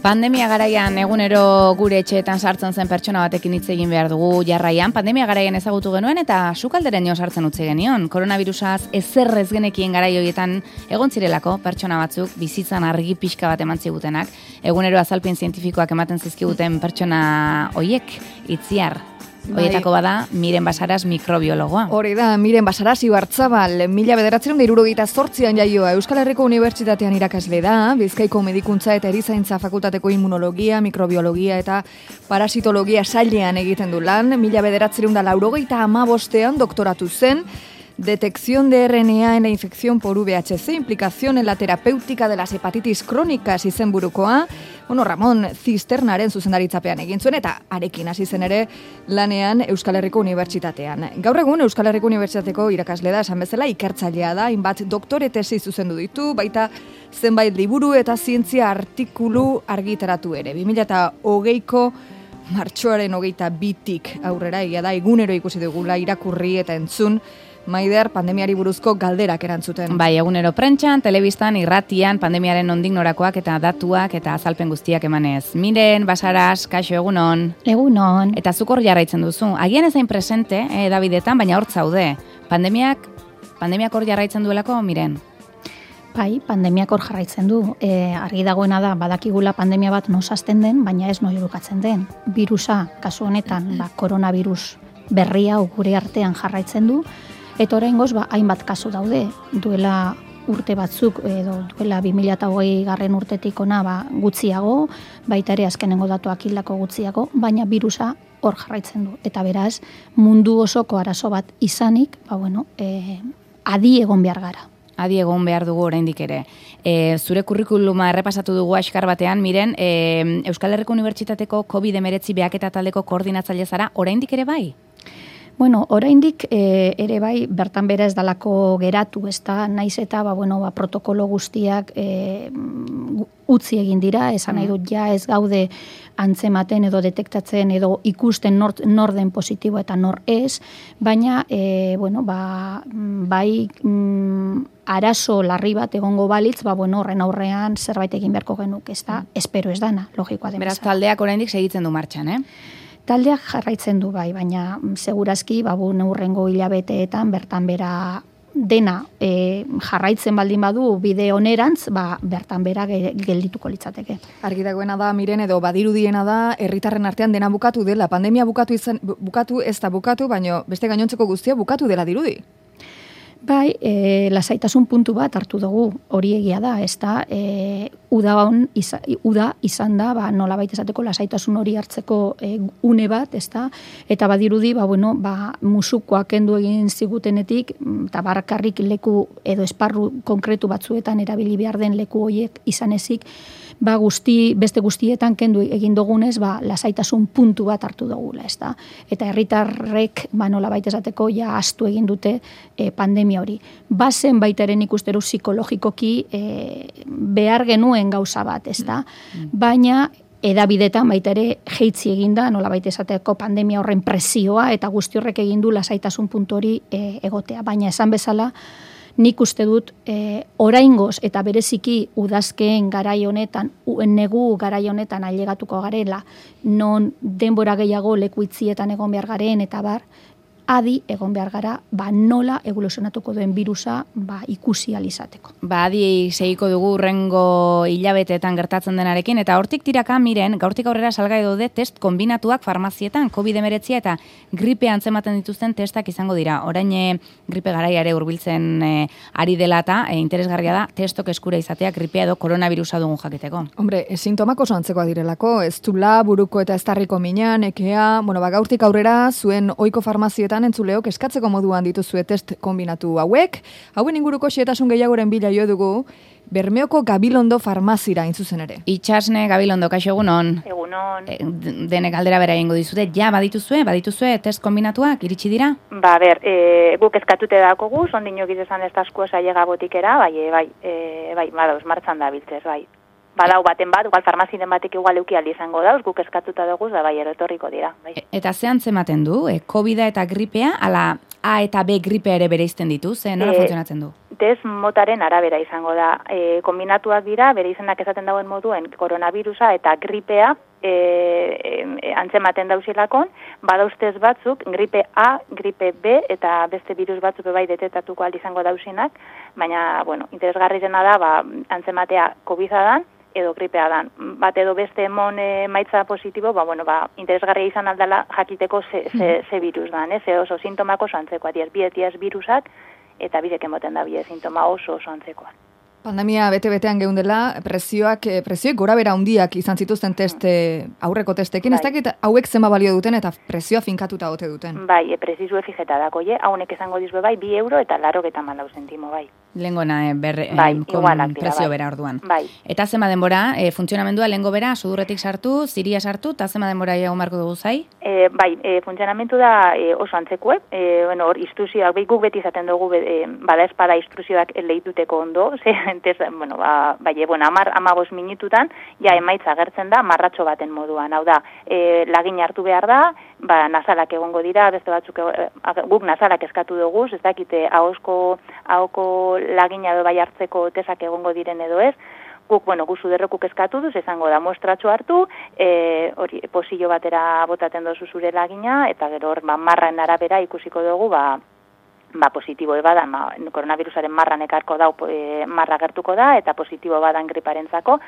Pandemia garaian egunero gure etxeetan sartzen zen pertsona batekin hitz egin behar dugu jarraian. Pandemia garaian ezagutu genuen eta sukalderen jo sartzen utzi genion. Koronabirusaz ezer ez genekien garai horietan egon zirelako pertsona batzuk bizitzan argi pixka bat eman zigutenak. Egunero azalpen zientifikoak ematen zizkiguten pertsona hoiek itziar. Hoietako bada, Miren Basaras mikrobiologoa. Hori da, Miren Basaras Ibarzabal, 1978an jaioa, Euskal Herriko Unibertsitatean irakasle da, Bizkaiko Medikuntza eta Erizaintza Fakultateko Immunologia, Mikrobiologia eta Parasitologia sailean egiten du lan, 1985an doktoratu zen, Detección de RNA en la infección por VHC, implicación en la terapéutica de las hepatitis crónicas izenburukoa, Ramon Zisternaren zuzendaritzapean egin zuen eta arekin hasi zen ere lanean Euskal Herriko Unibertsitatean. Gaur egun Euskal Herriko Unibertsitateko irakasle da, esan bezala ikertzailea da, hainbat doktore tesi zuzendu ditu, baita zenbait liburu eta zientzia artikulu argitaratu ere. 2020ko martxoaren 22tik aurrera, egia da, egunero ikusi dugula irakurri eta entzun, Maider, pandemiari buruzko galderak erantzuten. Bai, egunero prentxan, telebistan, irratian, pandemiaren nondik norakoak eta datuak eta azalpen guztiak emanez. Miren, Basaras, kaixo, egunon. Egunon. Eta zuk hor jarraitzen duzu. Agian ezain presente, Davidetan, baina hor zaude. Pandemiak hor jarraitzen duelako, Miren? Bai, pandemiak hor jarraitzen du. Argi dagoena da, badakigula pandemia bat nosazten den, baina ez noirukatzen den. Birusa, kasu honetan, koronavirus berria gure artean jarraitzen du, eta oraingoz hainbat kasu daude, duela urte batzuk, edo duela 2020 garren urtetik ona gutxiago, baita ere azkenengo datuak hildako gutxiago, baina birusa hor jarraitzen du. Eta beraz, mundu osoko arazo bat izanik, adi egon behar gara. Adi egon behar dugu oraindik ere. Zure kurrikuluma errepasatu dugu askar batean, Miren, Euskal Herriko Unibertsitateko COVID-19 behaketa taldeko koordinatzaile zara, oraindik ere bai? Bueno, oraindik ere bai bertan bera ez dalako geratu, ez da, naiz eta protokolo guztiak utzi egin dira, esan nahi dut ja ez gaude antzematen edo detektatzen edo ikusten nor den positibo eta nor ez, baina bai arazo larri bat egongo balitz, horren aurrean zerbait egin beharko genuk, ez da, espero ez dana, logikoa den. Beraz, taldeak oraindik segitzen du martxan, Taldeak jarraitzen du bai, baina segurazki neurrengo hilabeteetan bertan bera dena jarraitzen baldin badu bide onerantz, bertan bera geldituko litzateke. Argi dagoena da, Miren, edo badirudiena da, herritarren artean dena bukatu dela, pandemia bukatu ez da bukatu, baina beste gainontzeko guztia bukatu dela dirudi. Bai, lasaitasun puntu bat hartu dugu, hori egia da, ez da, uda izan da, nolabait esateko lasaitasun hori hartzeko une bat, ez da, eta badirudi, musukoak kendu egin zigutenetik, eta barkarrik leku edo esparru konkretu batzuetan erabili behar den leku horiek izan ezik, beste guztietan kendu egin dugunez, lasaitasun puntu bat hartu dugula, ez da. Eta herritarrek, nolabait esateko, ja astu egin dute pandemia hori. Bazen baitaren ikusteru psikologikoki behar genuen gauza bat, ez da. Baina, edabidetan baita ere jeitzi eginda, nolabait esateko pandemia horren presioa, eta guzti horrek egin du lasaitasun puntu hori egotea. Baina esan bezala, nik uste dut oraingoz eta bereziki udazkeen garai honetan, negu garai honetan ailegatuko garela, non denbora gehiago leku itzietan egon behar garen eta adi egon behar gara, nola evoluzionatuko duen birusa ikusi alizateko. Adi segiko dugu urrengo hilabeteetan gertatzen denarekin, eta hortik tiraka, Miren, gaurtik aurrera salgai daude test kombinatuak farmazietan, COVID-19 eta gripe antzematen dituzten testak izango dira. Orain gripe garaiare hurbiltzen ari dela eta interesgarria da testok eskura izatea gripea edo koronavirusa dugun jakiteko. Hombre, sintomak oso antzekoa direlako, ez dula, buruko eta estarriko minan, ekea, gaurtik aurrera zuen ohiko farmazietan entzuleok eskatzeko moduan dituzue test kombinatu hauek. Hauen inguruko xehetasun gehiagoren bila jo dugu Bermeoko Gabilondo farmazira intzuzen ere. Itxasne Gabilondo, kaixo egunon. Egunon. Denek galdera bera egingo dizute, badituzue test kombinatuak iritsi dira? Guk eskatute dakogu, ondinok izan ez asko saiega botikera, bai, badoz, martxan da biltzez, bai. Badau baten bat, igual farmazinen batek igual eukialdi izango dauz, guk eskatuta dugu, erotorriko dira. Bai. Eta ze antzematen du, COVID-a eta gripea, ala A eta B gripea ere bereizten ditu, nola funtzionatzen du? test motaren arabera izango da. Kombinatuak dira, bere izenak esaten dagoen moduen, koronavirusa eta gripea antzematen dauzilakon, badauz test batzuk, gripe A, gripe B eta beste virus batzuk bai detektatuko izango dauzinak, baina, bueno, interesgarrirena da, antzematea COVID-a dan, edo gripea dan. Bat edo beste emon maitza positibo, interesgarria izan aldala jakiteko ze virus dan, ze oso sintomako oso antzekoa, diez virusak, eta bidek emoten da bide sintoma oso antzekoa. Pandemia bete-betean geundela, prezioek gora bera handiak izan zituzten aurreko testekin, ez dakit hauek zenba balio duten eta prezioa finkatuta ote duten. Bai, prezizue fijeta dako, haunek esango dizue bai, 2 euro eta 84 zentimo, bai. Lengona prezio bera orduan. Bai. Eta zema denbora, funtzionamendua lengo bera, sudurretik sartu, ziria sartu, eta zema denbora egon marko dugu zai? Funtzionamentu da oso antzekuek, hor instrukzioak, guk beti izaten dugu, bada espada instrukzioak lehituteko ondo, amagos minututan, emaitza agertzen da, marratxo baten moduan, hau da, lagin hartu behar da, nazalak egongo dira, beste batzuk, guk nazalak eskatu dugu, ez dakite, ahoko lagina edo bai hartzeko tesak egongo diren edo ez, guk suderrokuk eskatu duz, esango da mostratxo hartu, hori posillo batera botaten dozu zure lagina, eta gero hor marraen arabera ikusiko dugu, positibo bada, koronavirusaren marran ekarko da, marra gertuko da, eta positibo badan griparentzako,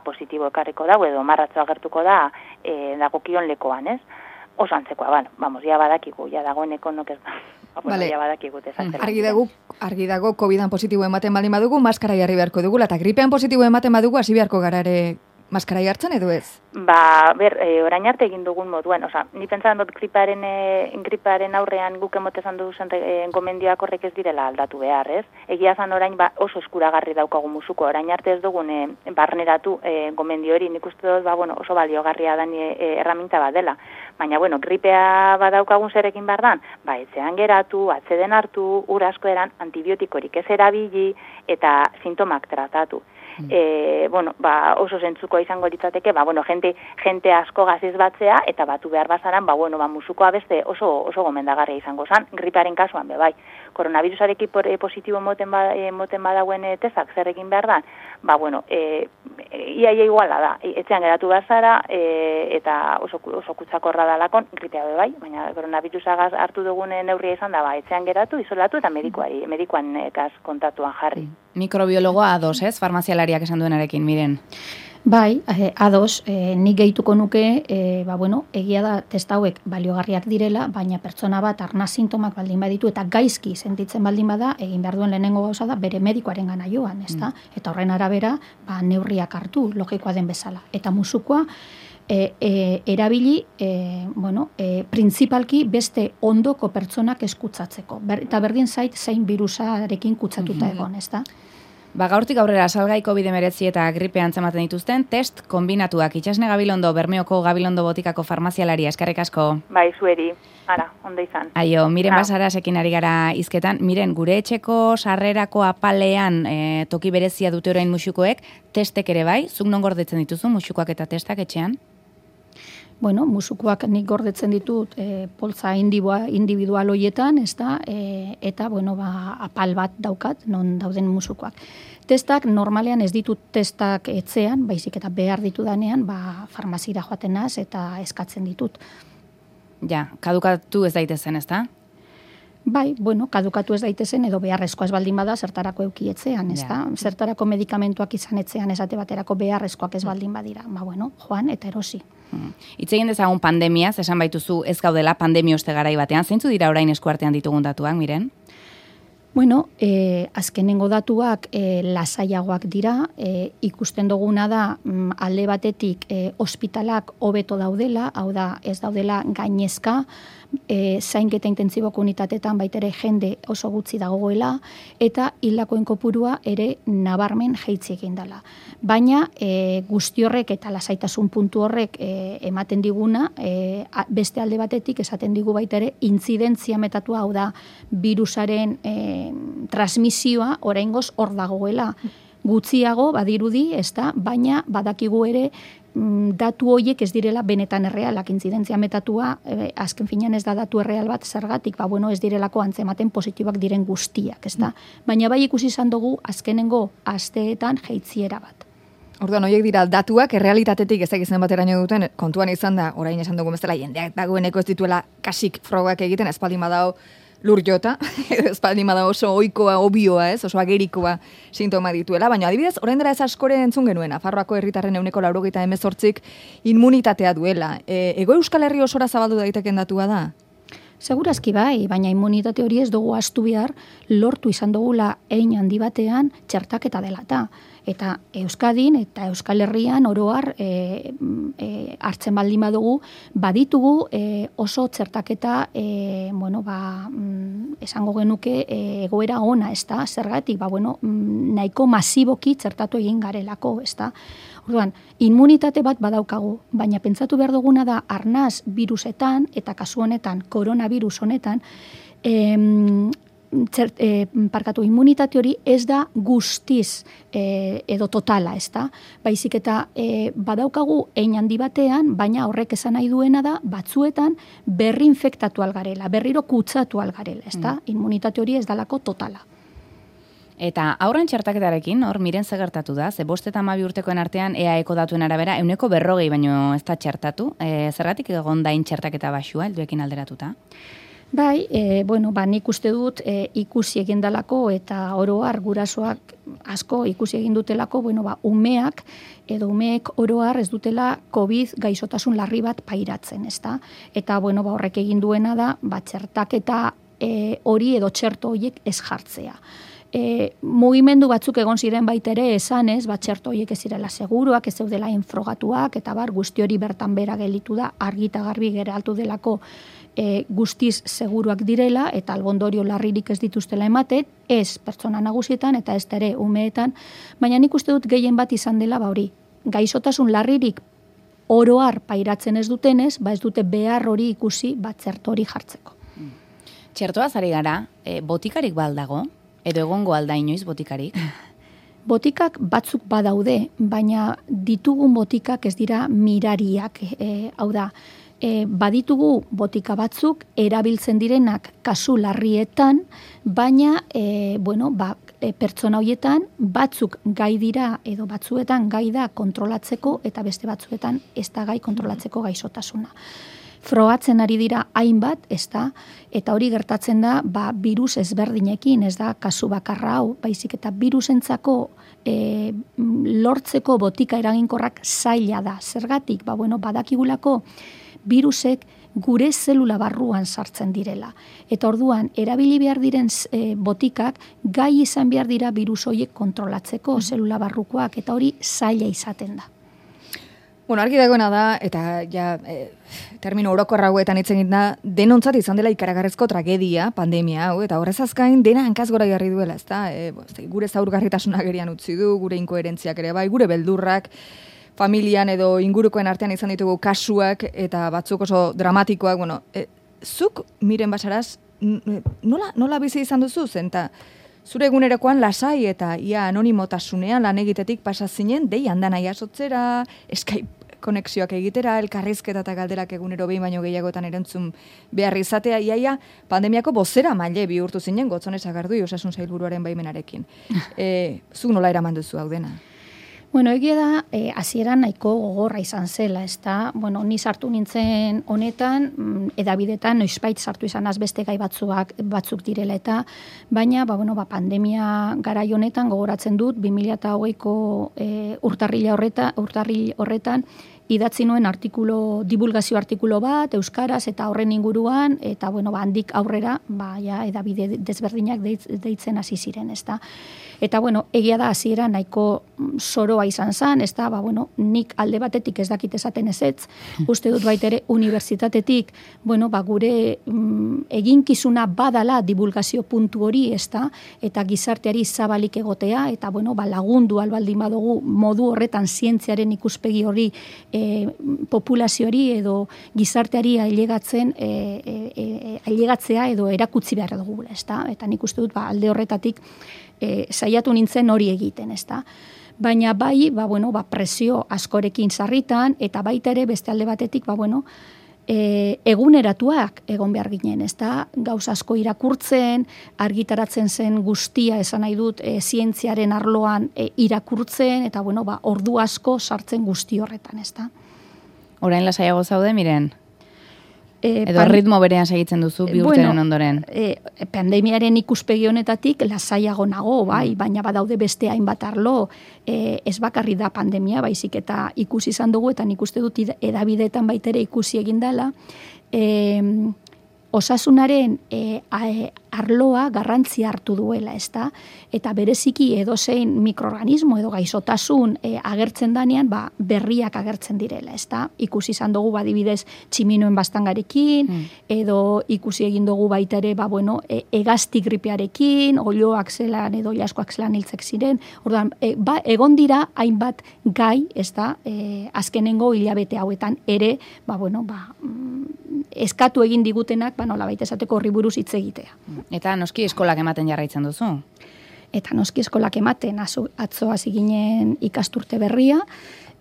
positibo ekarriko da, edo marratzo agertuko da, dagokion lekoan, ez? Oso antzekoa, ja badakigu, ja dagoeneko nok ez da. Ja badakigu, argi dago, COVID-an positibo ematen baldin badugu, maskara jarri beharko dugula, eta gripean positibo ematen badugu, hasi beharko gara ere maskara jartzen edo ez? Orain arte egin dugun moduen, ni pentsan dut griparen aurrean guk emotezan duzen gomendioak horrek ez direla aldatu behar, ez? Egia zan orain oso eskuragarri daukagu musuko, orain arte ez dugun barneratu gomendio hori, nik uste dut oso baliogarria dan erraminta bat dela. Baina, gripea badaukagun zerekin behar dan, etxean geratu, atzeden hartu, ur asko eran, antibiotikorik ez erabili eta sintomak tratatu. Oso zentzukoa izango litzateke, jente asko gaziz batzea, eta batu behar bazaran, musukoa beste oso gomendagarria izango zan, griparen kasuan, bai. Koronavirusarekin positibo moten badauen tesak zer egin behar da, iaia iguala da, etxean geratu bazara, eta oso kutsakorra dalakon, gripea bai, baina koronavirusagaz hartu dugun neurria izan da, etxean geratu, isolatu, eta medikuan kontatuan jarri. Mikrobiologoa ados, ez? Farmazialariak esan duenarekin, miren. Bai, ados, nik gehituko nuke, egia da testa hauek baliogarriak direla, baina pertsona bat arnaz sintomak baldin baditu eta gaizki sentitzen baldin bada, egin behar duen lehenengo gauza da, bere medikoaren gana joan, ezta? Eta horren arabera, neurriak hartu, logikoa den bezala. Eta musukoa, erabili, printzipalki beste ondoko pertsonak eskutsatzeko. Eta berdin zait, zein virusarekin kutsatuta egon, ezta? Gaurtik aurrera salgai COVID-19 eta gripe antzematen dituzten test kombinatuak. Itxasne Gabilondo, Bermeoko Gabilondo botikako farmazialaria, eskerrik asko. Bai, zueri. Ara, ondo izan. Aio, miren Basarasekin ari gara hizketan. Miren, gure etxeko sarrerako apalean toki berezia dute orain musukoek, testek ere bai, zuk non gordetzen dituzu musukoak eta testak etxean? Musukoak nik gordetzen ditut poltza individual hoietan, ezta, eta, apal bat daukat, non dauden musukoak. Testak, normalean ez ditut testak etxean, baizik eta behar ditudanean, farmazira joaten naz eta eskatzen ditut. Ja, kadukatu ez daitezen, ezta? Bai, kadukatu ez daitezen edo beharrezkoa ez baldin bada zertarako eukietzean, ezta? Zertarako medikamentuak izan etzean esate baterako beharrezkoak ez baldin badira. Joan eta erosi. Hitz egin dezagun pandemiaz, esan baituzu ez gaudela pandemia oste garai batean, zeintzu dira orain eskuartean ditugun datuak, miren? Azkenengo datuak lasaiagoak dira, ikusten duguna da alde batetik ospitalak hobeto daudela, hau da ez daudela gainezka, zainketa intentsiboko unitatetan baitere jende oso gutxi dagoela, eta hildakoen kopurua ere nabarmen jaitsi egin dela. Baina guzti horrek eta lasaitasun puntu horrek ematen diguna, beste alde batetik esaten digu baitere intzidentzia metatua, hau da virusaren transmisioa oraingoz hor dagoela. gutxiago badirudi, ezta, baina badakigu ere datu horiek ez direla benetan errealak, intzidentzia metatua, azken finean ez da datu erreal bat zergatik, ez direlako antzematen positibak diren guztiak, ezta. Baina bai ikusi izan dugu azkenengo asteetan jaitziera bat. Orduan, horiek dira datuak errealitatetik ezak izan bateraino duten, kontuan izan da, orain esan dugu bezala, jendeak dagoeneko ez dituela kasik frogak egiten, espaldin badao lur jota, espaldin badao oso ohikoa, obioa, oso agerikoa sintoma dituela, baina adibidez, orain dela ez askore entzun genuen, Nafarroako herritarren 98% immunitatea duela. Ego Euskal Herri osora zabaldu daiteken datua da? Segurazki bai, baina immunitate hori ez dugu ahaztu behar, lortu izan dugula hein handi batean txertaketa delata. Eta Euskadin eta Euskal Herrian oroar hartzen baldin badugu, baditugu oso txertaketa, esango genuke egoera ona, ezta? Zergatik, nahiko masiboki txertatu egin garelako, ezta? Orduan, immunitate bat badaukagu, baina pentsatu behar duguna da arnaz virusetan, eta kasu honetan, koronavirus honetan, immunitate hori ez da guztiz edo totala, ezta? Baizik eta badaukagu hein handi batean, baina horrek esan nahi duena da batzuetan berri infektatu algarela, berriro kutsatu algarela, ezta? Immunitate hori ez dalako totala. Eta aurren txertaketarekin, hor miren zegertatu da, 5 eta 12 urtekoen artean EAEko datuen arabera, 140 baino ez da txertatu, zergatik egon dain txertaketa baxua, helduekin alderatuta? Bai, nik uste dut ikusi egin dalako eta oroar gurasoak asko ikusi egin dutelako, umeak edo umeek oroar ez dutela COVID gaixotasun larri bat pairatzen, ezta? Eta horrek egin duena da, txertaketa hori edo txerto horiek ez jartzea. Mugimendu batzuk egon ziren baitere esanez, txerto horiek ez zirela seguruak, ez zeudela infrogatuak, eta guzti hori bertan bera gelitu da, argita garbi geraltu delako guztiz seguruak direla, eta albondorio larririk ez dituztela ematen, ez pertsona nagusietan eta ez ere umeetan, baina nik uste dut gehien bat izan dela hori. Gaixotasun larririk oroar pairatzen ez dutenez, ez dute behar hori ikusi txerto hori jartzeko. Txertoaz ari gara, botikarik baldago? Edo egongo alda inoiz botikarik? Botikak batzuk badaude, baina ditugun botikak ez dira mirariak, hau da, baditugu botika batzuk erabiltzen direnak kasu larrietan, baina pertsona horietan batzuk gai dira edo batzuetan gai da kontrolatzeko eta beste batzuetan ez da gai kontrolatzeko gaixotasuna. Frogatzen ari dira hainbat, ezta, eta hori gertatzen da, virus ezberdinekin, ez da, kasu bakarra hau, baizik eta virusentzako lortzeko botika eraginkorrak zaila da. Zergatik, badakigulako virusek gure zelula barruan sartzen direla. Eta orduan, erabili behar diren botikak gai izan behar dira virus horiek kontrolatzeko zelula barrukoak, eta hori zaila izaten da. Argi dagoena da, eta termino orokorra hauetan hitz egin da, denontzat izan dela ikaragarrezko tragedia, pandemia hau, eta horrez azkain dena hankaz gora jarri duela, ezta? Gure zaurgarritasuna gerian utzi du, gure inkoherentziak ere bai, gure beldurrak, familian edo ingurukoen artean izan ditugu kasuak, eta batzuk oso dramatikoak, zuk miren basaraz, nola bizi izan duzu, zenta? Zure egunerokoan lasai eta ia anonimotasunean lan egitetik pasa zinen, dei handan jasotzera, Skype konexioak egitera, elkarrizketa eta galderak egunero behin baino gehiagotan erantzun behar izatea, iaia pandemiako bozera maile bihurtu zinen, Gotzone Sagardui osasun sailburuaren baimenarekin. Zuk nola eraman duzu hau dena? Egia da, hasieran nahiko gogorra izan zela, ezta? Ni sartu nintzen honetan, edabidetan, noizbait sartu izan beste gai batzuk direla eta, baina, pandemia garai honetan gogoratzen dut, 2020ko urtarril horretan, idatzi nuen divulgazio artikulo bat, euskaraz eta horren inguruan, eta handik aurrera, edabide desberdinak deitzen hasi ziren, ezta? Eta egia da hasiera nahiko soroa izan zen, ezta? Nik alde batetik ez dakit esaten ezetz, uste dut baitere unibertsitatetik, gure eginkizuna badala divulgazio puntu hori, ezta? Eta gizarteari zabalik egotea, eta lagundu albaldin badugu modu horretan zientziaren ikuspegi hori populazioari edo gizarteari ailegatzea edo erakutsi behar dugula, ezta? Eta nik uste dut alde horretatik saiatu nintzen hori egiten, ezta? Baina bai, presio askorekin sarritan, eta baita ere beste alde batetik, eguneratuak egon behar ginen, ezta? Gauz asko irakurtzen, argitaratzen zen guztia, esan nahi dut, zientziaren arloan irakurtzen, eta ordu asko sartzen guzti horretan, ezta? Orain lasaiago zaude, Miren? Edo ritmo berean segitzen duzu bi urteren ondoren? Pandemiaren ikuspegi honetatik lasaiago nago, bai, baina badaude beste hainbat arlo, ez bakarri da pandemia, baizik eta ikusi izan dugu, eta nik uste dut edabideetan baitere ikusi egin dela, osasunaren arloa garrantzia hartu duela, ezta? Eta bereziki edozein mikroorganismo edo gaixotasun agertzen danean, berriak agertzen direla, ezta? Ikusi izan dugu adibidez tximinoen bastangarekin, edo ikusi egin dugu baita ere, hegazti gripearekin, oloak zelan edo olaskoak zelan hiltzek ziren. Orduan, egon dira hainbat gai, ezta? Azkenengo hilabete hauetan ere, eskatu egin digutenak, nola baita esateko horri buruz hitz egitea. Eta noski eskolak ematen jarraitzen duzu? Eta noski eskolak ematen, atzo hasi ginen ikasturte berria,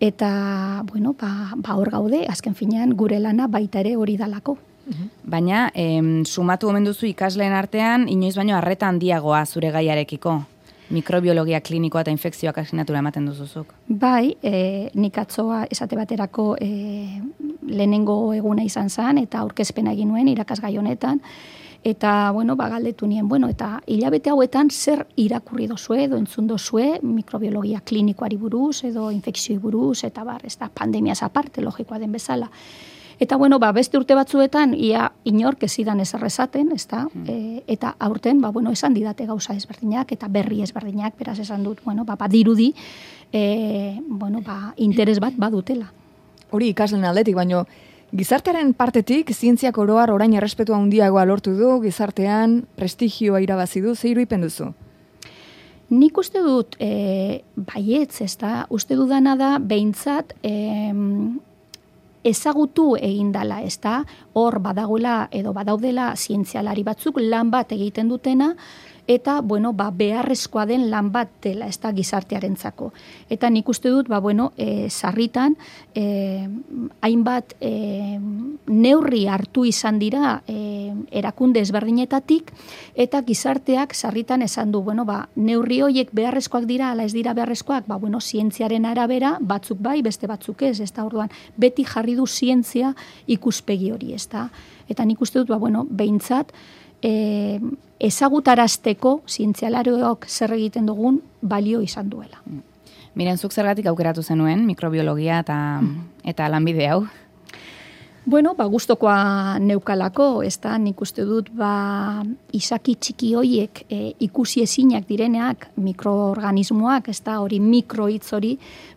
eta, hor gaude, azken finean gure lana baita ere hori dalako. Baina, sumatu omen duzu ikasleen artean, inoiz baino arreta handiagoa zure gaiarekiko? Mikrobiologia klinikoa eta infekzioak asignatura ematen duzuzuk. Bai, nik atzoa esate baterako lehenengo eguna izan zen, eta aurkezpena egin nuen irakasgai honetan, eta, galdetu nien, eta hilabete hauetan zer irakurri dozue, edo entzun dozue, mikrobiologia klinikoari buruz, edo infekzioi buruz, eta ez da pandemiaz aparte, logikoa den bezala. Eta, beste urte batzuetan, ia inork ezidan ezerrezaten, ezta? Eta aurten, esan didate gauza ezberdinak, eta berri ezberdinak, beraz esan dut, badirudi, interes bat badutela. Hori ikaslen aldetik, baino, gizartearen partetik, zientziak oroar orain errespetua handiagoa lortu du, gizartean prestigioa irabazi du, ze irudipen duzu? Nik uste dut, baietz, ezta? Uste dudana da, behintzat, ezagutu egin dala, ezta? Hor badagoela edo badaudela zientzialari batzuk lan bat egiten dutena, eta, beharrezkoa den lan bat dela, ez da gizartearentzako. Eta nik uste dut, sarritan, hainbat neurri hartu izan dira erakunde ezberdinetatik, eta gizarteak sarritan esan du, neurri horiek beharrezkoak dira, ala ez dira beharrezkoak, zientziaren arabera, batzuk bai, beste batzuk ez, ez da orduan, beti jarri du zientzia ikuspegi hori, ez da. Eta nik uste dut, behintzat, ezagutarazteko zientzialarioak zer egiten dugun balio izan duela. Miren, zuk zergatik aukeratu zenuen mikrobiologia eta lanbide hau? Gustokoa neukalako, ez da, nik uste dut, izaki txiki hoiek ikusi ezinak direneak mikroorganismoak, ez da, hori mikroitz hori,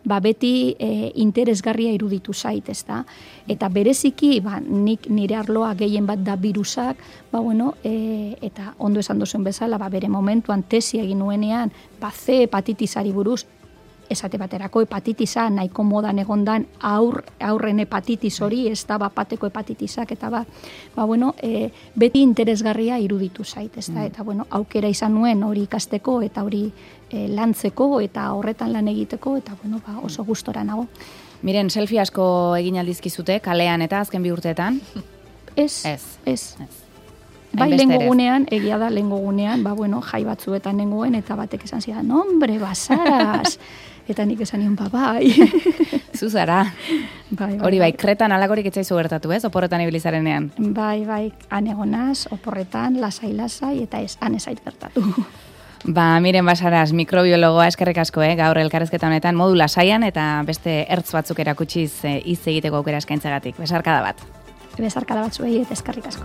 beti interesgarria iruditu zait, ez da. Eta bereziki, nik nire arloa gehien bat da virusak, eta ondo esan duzuen bezala, bere momentuan tesi egin nuenean, C hepatitisari buruz, esate baterako hepatitisa nahiko modan egondan aurren hepatitis hori, ez da bateko hepatitisak, eta beti interesgarria iruditu zait, ez da, eta aukera izan nuen hori ikasteko, eta hori lantzeko, eta horretan lan egiteko, eta oso gustora nago. Miren, selfie asko egin aldizkizute, kalean eta azken bi urteetan? Ez. Bai, lehengogunean, egia da, lehengogunean, jai batzuetan nengoen, eta batek esan zidan, hombre, basaraz! Eta nik esan nion, bai. Zuzara. Hori bai, kretan alakorik etzaizu gertatu, ez? Oporretan ibilizarenean. Bai, han egonaz, oporretan, lasai, eta ez, han ezait gertatu. Miren Basaraz, mikrobiologoa eskerrik asko, gaur elkarrezketa honetan, modu lasaian, eta beste ertz batzuk erakutsiz hitz egiteko aukera eskaintzagatik. Besarkada bat. Besarkada bat zuei, eta eskerrik asko.